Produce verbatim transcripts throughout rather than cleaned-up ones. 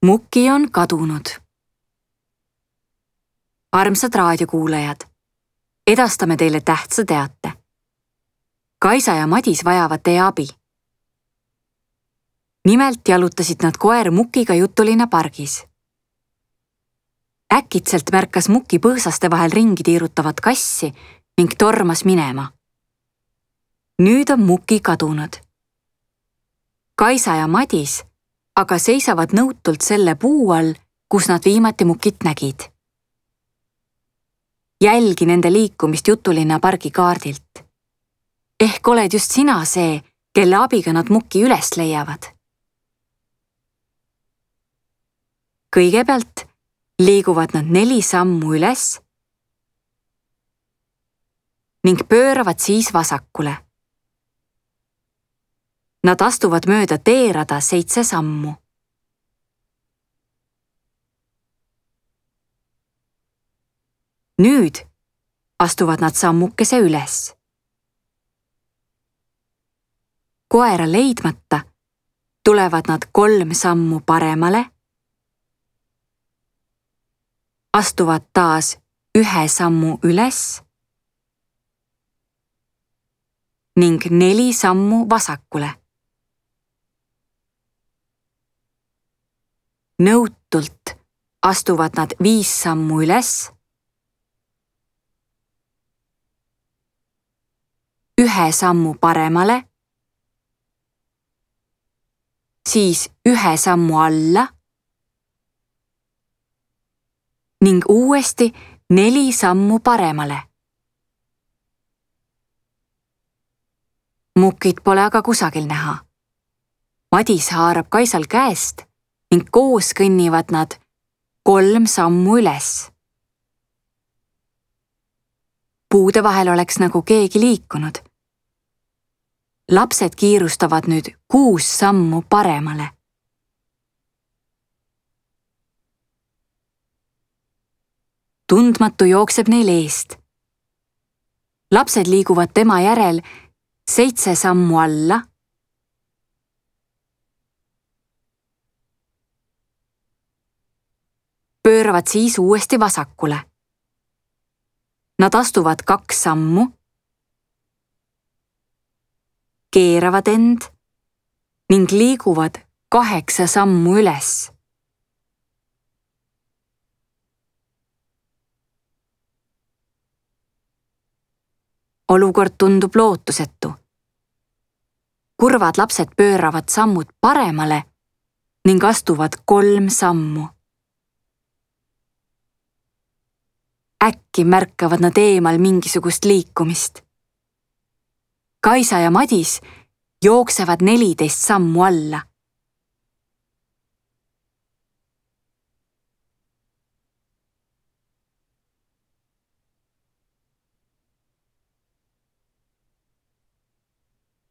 Muki on kadunud. Armsad raadiokuulajad, edastame teile tähtsa teate. Kaisa ja Madis vajavad teie abi. Nimelt jalutasid nad koer Mukiga Jutulinna pargis. Äkitselt märkas Muki põõsaste vahel ringi tiirutavat kassi ning tormas minema. Nüüd on Muki kadunud. Kaisa ja Madis aga seisavad nõutult selle puu all, kus nad viimati Mukit nägid. Jälgi nende liikumist Jutulinna pargi kaardilt. Ehk oled just sina see, kelle abiga nad Muki üles leiavad. Kõigepealt liiguvad nad neli sammu üles ning pööravad siis vasakule. Nad astuvad mööda teerada seitse sammu. Nüüd astuvad nad sammukese üles. Koera leidmata tulevad nad kolm sammu paremale, astuvad taas ühe sammu üles ning neli sammu vasakule. Nõutult astuvad nad viis sammu üles, ühe sammu paremale, siis ühe sammu alla ning uuesti neli sammu paremale. Mukit pole aga kusagil näha. Madis haarab Kaisal käest ning koos kõnnivad nad kolm sammu üles. Puude vahel oleks nagu keegi liikunud. Lapsed kiirustavad nüüd kuus sammu paremale. Tundmatu jookseb neil eest. Lapsed liiguvad tema järel seitse sammu alla, pööravad siis uuesti vasakule. Nad astuvad kaks sammu, keeravad end ning liiguvad kaheksa sammu üles. Olukord tundub lootusetu. Kurvad lapsed pööravad sammud paremale ning astuvad kolm sammu. Äkki märkavad nad eemal mingisugust liikumist. Kaisa ja Madis jooksevad neliteist sammu alla.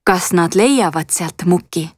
Kas nad leiavad sealt Muki?